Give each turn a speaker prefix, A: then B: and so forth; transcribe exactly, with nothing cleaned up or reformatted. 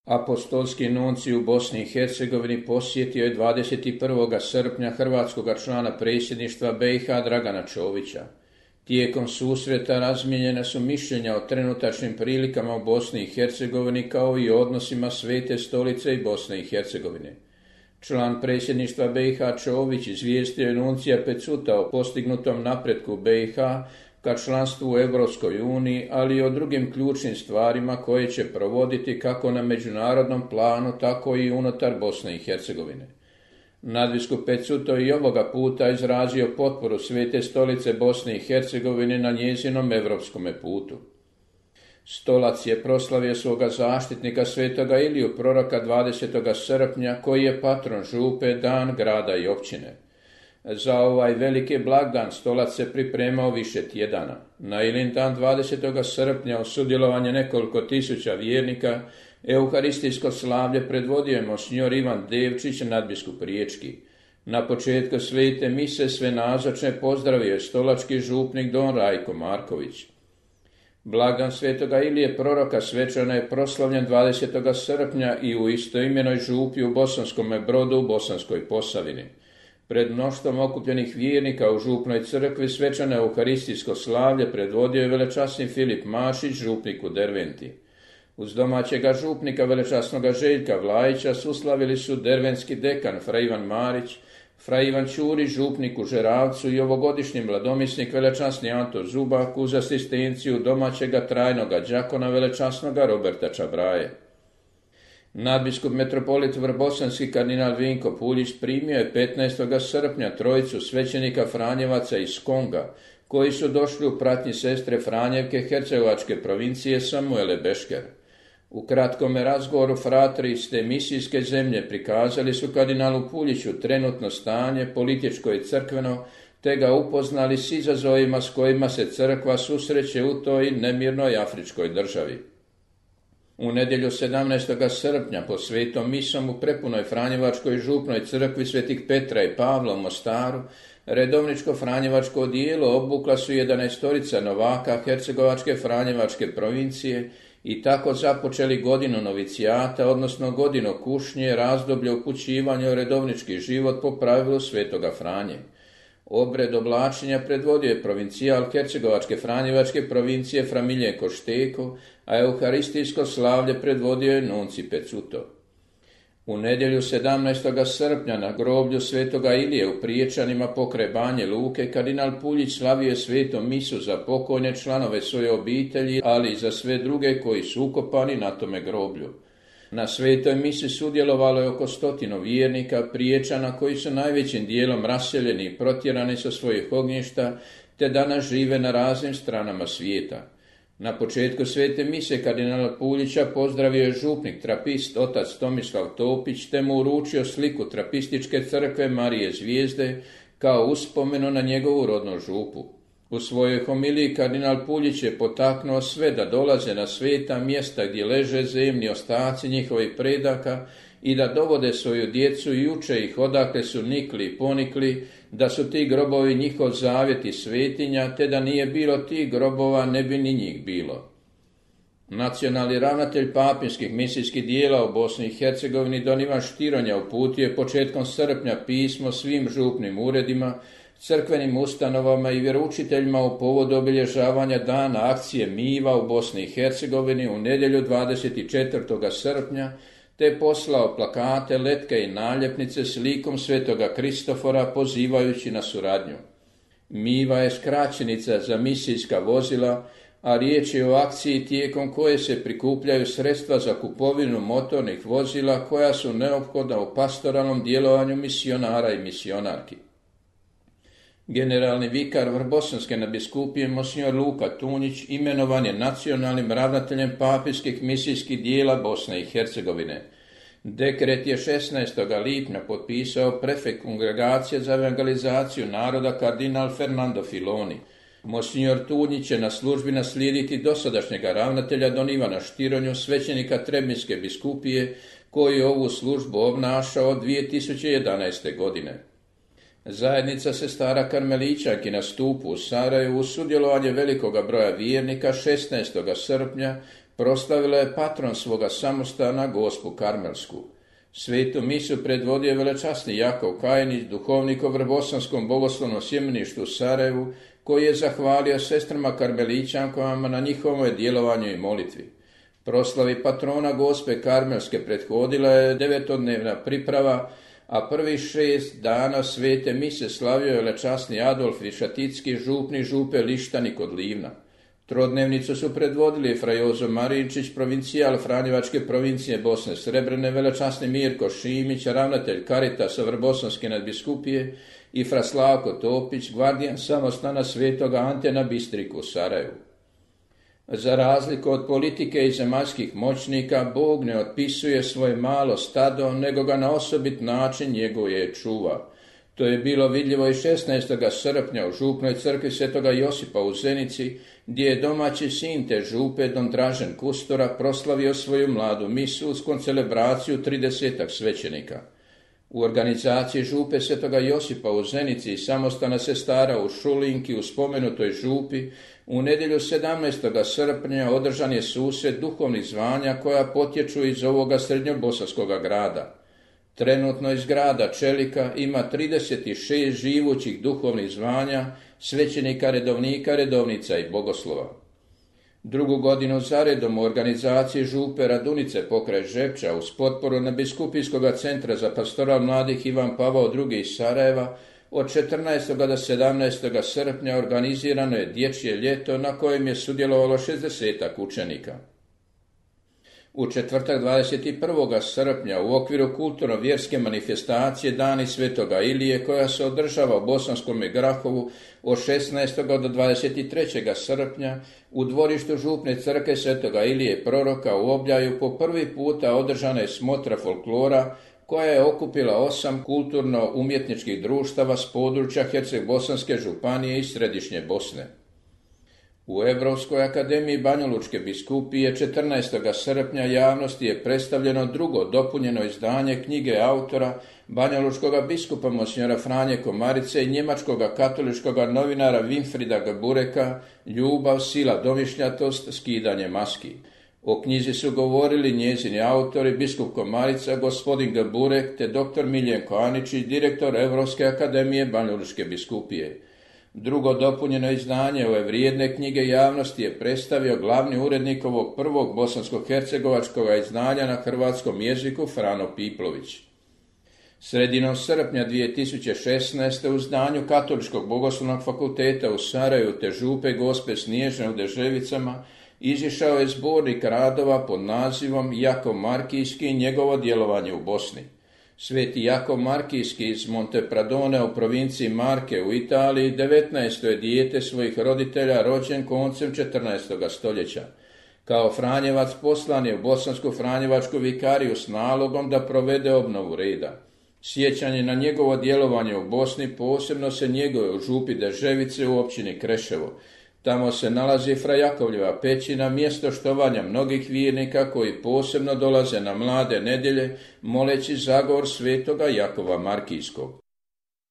A: Apostolski nuncij u Bosni i Hercegovini posjetio je dvadeset prvog srpnja hrvatskoga člana predsjedništva B i H Dragana Čovića. Tijekom susreta razmijenjena su mišljenja o trenutačnim prilikama u Bosni i Hercegovini kao i o odnosima Svete stolice i Bosne i Hercegovine. Član predsjedništva B i H Čović izvijestio je nuncija Pecuta o postignutom napretku B i H ka članstvu u Europskoj uniji, ali i o drugim ključnim stvarima koje će provoditi kako na međunarodnom planu, tako i unutar Bosne i Hercegovine. Nadbiskup Pecuto i ovoga puta izrazio potporu Svete stolice Bosne i Hercegovine na njezinom europskome putu. Stolac je proslavio svoga zaštitnika Svetoga Iliju proroka dvadesetog srpnja, koji je patron župe, dan grada i općine. Za ovaj veliki blagdan Stolac se pripremao više tjedana. Na Ilin dan dvadesetog srpnja u sudjelovanje nekoliko tisuća vjernika euharistijsko slavlje predvodio je monsignor Ivan Devčić, nadbiskup riječki. Na početku svete mise sve nazočne pozdravio je stolački župnik don Rajko Marković. Blagdan Svetoga Ilije proroka svečano je proslavljen dvadesetog srpnja i u istoimenoj župi u Bosanskome Brodu u Bosanskoj Posavini. Pred mnoštvom okupljenih vjernika u župnoj crkvi svečano euharistijsko slavlje predvodio je velečasni Filip Mašić, župnik u Derventi. Uz domaćega župnika velečasnoga Željka Vlajića suslavili su dervenski dekan fra Ivan Marić, fra Ivan Ćurić, župnik u Žeravcu, i ovogodišnji mladomisnik velečasni Anto Zubak uz asistenciju domaćega trajnoga đakona velečasnoga Roberta Čabraje. Nadbiskup metropolit vrbosanski kardinal Vinko Puljić primio je petnaestog srpnja trojicu svećenika Franjevaca iz Konga, koji su došli u pratnji sestre Franjevke Hercegovačke provincije Samuele Bešker. U kratkome razgovoru fratri iz te misijske zemlje prikazali su kardinalu Puljiću trenutno stanje političko i crkveno, te ga upoznali s izazovima s kojima se crkva susreće u toj nemirnoj afričkoj državi. U nedjelju sedamnaestog srpnja po svetom misom u prepunoj Franjevačkoj župnoj crkvi Svetih Petra i Pavla u Mostaru redovničko franjevačko odijelo obukla su jedanaestorica novaka Hercegovačke Franjevačke provincije i tako započeli godinu novicijata, odnosno godinu kušnje, razdoblje upućivanja u redovnički život po pravilu Svetoga Franje. Obred oblačenja predvodio je provincijal Hercegovačke Franjevačke provincije fra Miljenko Šteko, a euharistijsko slavlje predvodio je nunci Pecuto. U nedjelju sedamnaestog srpnja na groblju Svetoga Ilije u Priječanima pokraj Banje Luke kardinal Puljić slavio je svetom misu za pokojne članove svoje obitelji, ali i za sve druge koji su ukopani na tome groblju. Na svetoj misi sudjelovalo je oko stotinu vjernika Priječana koji su najvećim dijelom raseljeni i protjerani sa svojih ognjišta, te danas žive na raznim stranama svijeta. Na početku svete mise kardinala Puljića pozdravio je župnik trapist otac Tomislav Topić, te mu uručio sliku trapističke crkve Marije Zvijezde kao uspomenu na njegovu rodnu župu. U svojoj homiliji kardinal Puljić je potaknuo sve da dolaze na sveta mjesta gdje leže zemni ostaci njihovih predaka i da dovode svoju djecu i uče ih odakle su nikli i ponikli, da su ti grobovi njihov zavjet i svetinja, te da nije bilo tih grobova ne bi ni njih bilo. Nacionalni ravnatelj papinskih misijskih dijela u Bosni i Hercegovini don Ivan Štironja uputio je početkom srpnja pismo svim župnim uredima, crkvenim ustanovama i vjeroučiteljima u povodu obilježavanja dana akcije Miva u Bosni i Hercegovini u nedjelju dvadeset četvrtog srpnja, te poslao plakate, letke i naljepnice s likom Svetoga Kristofora pozivajući na suradnju. Miva je skraćenica za misijska vozila, a riječ je o akciji tijekom koje se prikupljaju sredstva za kupovinu motornih vozila koja su neophodna u pastoralnom djelovanju misionara i misionarki. Generalni vikar Vrbosanske nadbiskupije monsignor Luka Tunjić imenovan je nacionalnim ravnateljem papinskih misijskih dijela Bosne i Hercegovine. Dekret je šesnaestog lipnja potpisao prefekt kongregacije za evangelizaciju naroda kardinal Fernando Filoni. Monsignor Tunjić će na službi naslijediti dosadašnjega ravnatelja don Ivana Štironju, svećenika Trebinjske biskupije, koji je ovu službu obnašao od dvije tisuće jedanaeste. godine. Zajednica sestara Karmelićanki na Stupu u Sarajevu uz sudjelovanje velikoga broja vjernika šesnaestog srpnja proslavila je patron svoga samostana, Gospu Karmelsku. Svetu misu predvodio velečasni Jakov Kajinić, duhovnik u Vrbosanskom bogoslovnom sjemeništu u Sarajevu, koji je zahvalio sestrama karmelićankama na njihovom djelovanju i molitvi. Proslavi patrona Gospe Karmelske prethodila je devetodnevna priprava, a prvih šest dana svete mise slavio je velečasni Adolf Višaticki, župni župe Lištani kod Livna. Trodnevnicu su predvodili fra Jozo Marinčić, provincijal Franjevačke provincije Bosne Srebrene, velečasni Mirko Šimić, ravnatelj Karitasa Vrbosanske nadbiskupije, i fra Slavko Topić, gvardijan samostana svetoga Ante na Bistriku u Sarajevu. Za razliku od politike i zemaljskih moćnika, Bog ne otpisuje svoje malo stado, nego ga na osobit način njeguje čuva. To je bilo vidljivo i šesnaestog srpnja u župnoj crkvi svetoga Josipa u Zenici, gdje je domaći sin te župe, don Dražen Kustora, proslavio svoju mladu misu uz koncelebraciju tridesetak svećenika. U organizaciji župe svetoga Josipa u Zenici i samostana sestara u Šulinki u spomenutoj župi u nedjelju sedamnaestog srpnja održan je susret duhovnih zvanja koja potječu iz ovoga srednjobosanskoga grada. Trenutno iz grada Čelika ima trideset šest živućih duhovnih zvanja, svećenika, redovnika, redovnica i bogoslova. Drugu godinu zaredom u organizaciji župe Radunice pokraj Žepča uz potporu Nadbiskupijskog centra za pastoral mladih Ivan Pavao drugi iz Sarajeva od četrnaestog do sedamnaestog srpnja organizirano je dječje ljeto na kojem je sudjelovalo šezdesetak učenika. U četvrtak dvadeset prvog srpnja u okviru kulturno-vjerske manifestacije Dani svetoga Ilije koja se održava u Bosanskome Grahovu od šesnaestog do dvadeset trećeg srpnja u dvorištu župne crkve svetoga Ilije proroka u Obljaju po prvi puta održana je smotra folklora koja je okupila osam kulturno-umjetničkih društava s područja Herceg-Bosanske županije i Središnje Bosne. U Europskoj akademiji Banjalučke biskupije četrnaestog srpnja javnosti je predstavljeno drugo dopunjeno izdanje knjige autora banjalučkog biskupa monsignora Franje Komarice i njemačkog katoličkog novinara Winfrida Gabureka Ljubav, sila, domišljatost, skidanje maski. O knjizi su govorili njezini autori, biskup Komarica, gospodin Gaburek te doktor Miljenko Aničić, direktor Europske akademije Banjalučke biskupije. Drugo dopunjeno izdanje ove vrijedne knjige javnosti je predstavio glavni urednik ovog prvog bosansko-hercegovačkog izdanja na hrvatskom jeziku Frano Piplović. Sredinom srpnja dvije tisuće šesnaeste u zdanju Katoličkog bogoslovnog fakulteta u Sarajevu te župe Gospe Snježne u Deževicama izišao je zbornik radova pod nazivom Jakov Markijski i njegovo djelovanje u Bosni. Sveti Jakov Markijski iz Montepradone u provinciji Marke u Italiji devetnaesto je dijete svojih roditelja rođen koncem četrnaestog stoljeća. Kao Franjevac poslan je u Bosansku Franjevačku vikariju s nalogom da provede obnovu reda. Sjećanje na njegovo djelovanje u Bosni posebno se njeguje u župi Deževice u općini Kreševo. Tamo se nalazi fra Jakovljeva pećina, mjesto štovanja mnogih vjernika koji posebno dolaze na mlade nedjelje moleći zagovor svetoga Jakova Markijskog.